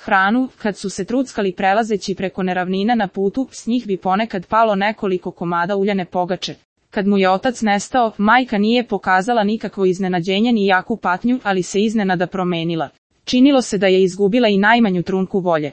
hranu, kad su se truckali prelazeći preko neravnina na putu, s njih bi ponekad palo nekoliko komada uljane pogače. Kad mu je otac nestao, majka nije pokazala nikakvo iznenađenje ni jaku patnju, ali se iznenada promenila. Činilo se da je izgubila i najmanju trunku volje.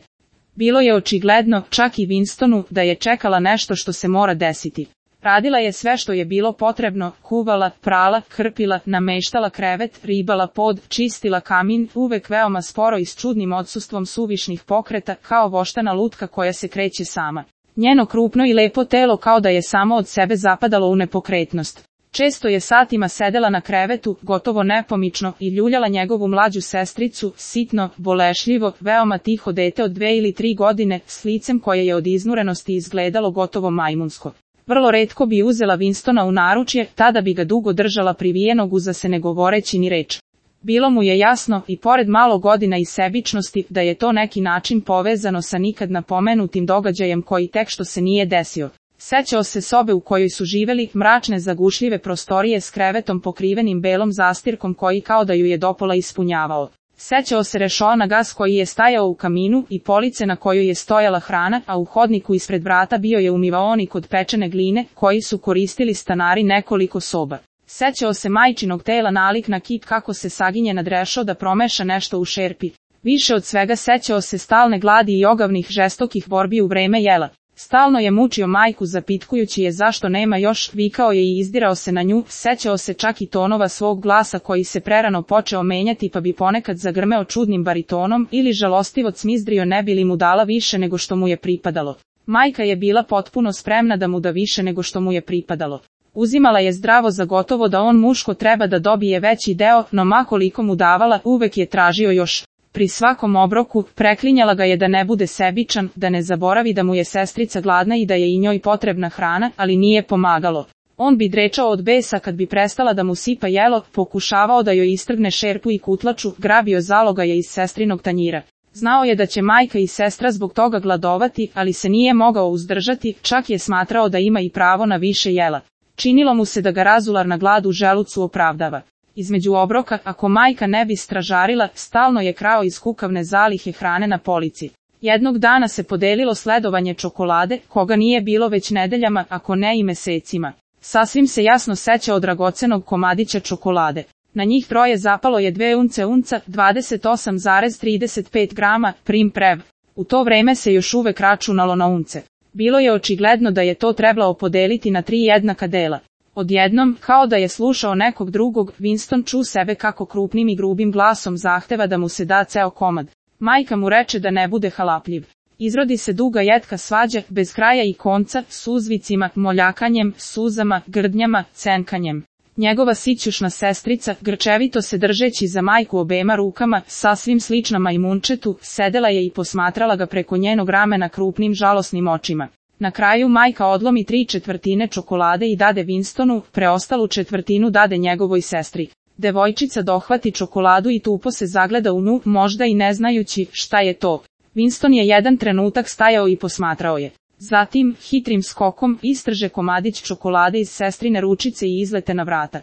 Bilo je očigledno, čak i Winstonu, da je čekala nešto što se mora desiti. Radila je sve što je bilo potrebno, kuvala, prala, krpila, nameštala krevet, ribala pod, čistila kamin, uvek veoma sporo i s čudnim odsustvom suvišnih pokreta, kao voštana lutka koja se kreće sama. Njeno krupno i lepo telo kao da je samo od sebe zapadalo u nepokretnost. Često je satima sedela na krevetu, gotovo nepomično, i ljuljala njegovu mlađu sestricu, sitno, bolešljivo, veoma tiho dete od 2 ili 3 godine, s licem koje je od iznurenosti izgledalo gotovo majmunsko. Vrlo retko bi uzela Winstona u naručje, tada bi ga dugo držala privijenog uza se ne govoreći ni reč. Bilo mu je jasno, i pored malo godina i sebičnosti, da je to neki način povezano sa nikad napomenutim događajem koji tek što se nije desio. Sećao se sobe u kojoj su živeli, mračne zagušljive prostorije s krevetom pokrivenim belom zastirkom koji kao da ju je dopola ispunjavao. Sećao se rešoa na gas koji je stajao u kaminu i police na kojoj je stojala hrana, a u hodniku ispred vrata bio je umivaonik od pečene gline, koji su koristili stanari nekoliko soba. Sećao se majčinog tela nalik na kip kako se saginje nad rešo da promeša nešto u šerpi. Više od svega sećao se stalne gladi i ogavnih žestokih borbi u vreme jela. Stalno je mučio majku zapitkujući je zašto nema još, vikao je i izdirao se na nju, sećao se čak i tonova svog glasa koji se prerano počeo menjati pa bi ponekad zagrmeo čudnim baritonom ili žalostivo cmizdrio ne bi li mu dala više nego što mu je pripadalo. Majka je bila potpuno spremna da mu da više nego što mu je pripadalo. Uzimala je zdravo za gotovo da on muško treba da dobije veći deo, no ma koliko mu davala, uvek je tražio još. Pri svakom obroku, preklinjala ga je da ne bude sebičan, da ne zaboravi da mu je sestrica gladna i da je i njoj potrebna hrana, ali nije pomagalo. On bi drečao od besa kad bi prestala da mu sipa jelo, pokušavao da joj istrgne šerpu i kutlaču, grabio zalogaje iz sestrinog tanjira. Znao je da će majka i sestra zbog toga gladovati, ali se nije mogao uzdržati, čak je smatrao da ima i pravo na više jela. Činilo mu se da ga razularna glad u želucu opravdava. Između obroka, ako majka ne bi stražarila, stalno je krao iz kukavne zalihe hrane na polici. Jednog dana se podelilo sledovanje čokolade, koga nije bilo već nedeljama, ako ne i mesecima. Sasvim se jasno sećao dragocenog komadića čokolade. Na njih troje zapalo je 2 unca, 28,35 grama, prim prev. U to vreme se još uvek računalo na unce. Bilo je očigledno da je to trebalo podeliti na 3 jednaka dela. Odjednom, kao da je slušao nekog drugog, Winston ču sebe kako krupnim i grubim glasom zahteva da mu se da ceo komad. Majka mu reče da ne bude halapljiv. Izrodi se duga jetka svađa, bez kraja i konca, s uzvicima, moljakanjem, suzama, grdnjama, cenkanjem. Njegova sićušna sestrica, grčevito se držeći za majku obema rukama, sasvim slična majmunčetu, sedela je i posmatrala ga preko njenog ramena krupnim žalosnim očima. Na kraju majka odlomi 3/4 čokolade i dade Winstonu, preostalu četvrtinu dade njegovoj sestri. Devojčica dohvati čokoladu i tupo se zagleda u nju, možda i ne znajući šta je to. Winston je jedan trenutak stajao i posmatrao je. Zatim, hitrim skokom, istrže komadić čokolade iz sestrine ručice i izlete na vrata.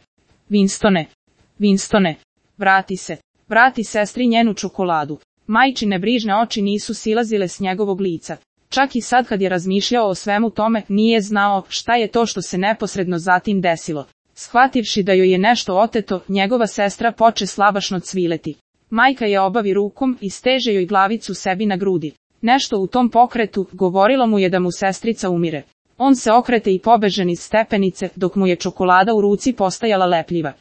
Winstone, Winstone, vrati se, vrati sestri njenu čokoladu. Majčine brižne oči nisu silazile s njegovog lica. Čak i sad kad je razmišljao o svemu tome, nije znao šta je to što se neposredno zatim desilo. Shvativši da joj je nešto oteto, njegova sestra poče slabašno cvileti. Majka je obavi rukom i steže joj glavicu sebi na grudi. Nešto u tom pokretu govorilo mu je da mu sestrica umire. On se okrete i pobeže niz stepenice, dok mu je čokolada u ruci postajala lepljiva.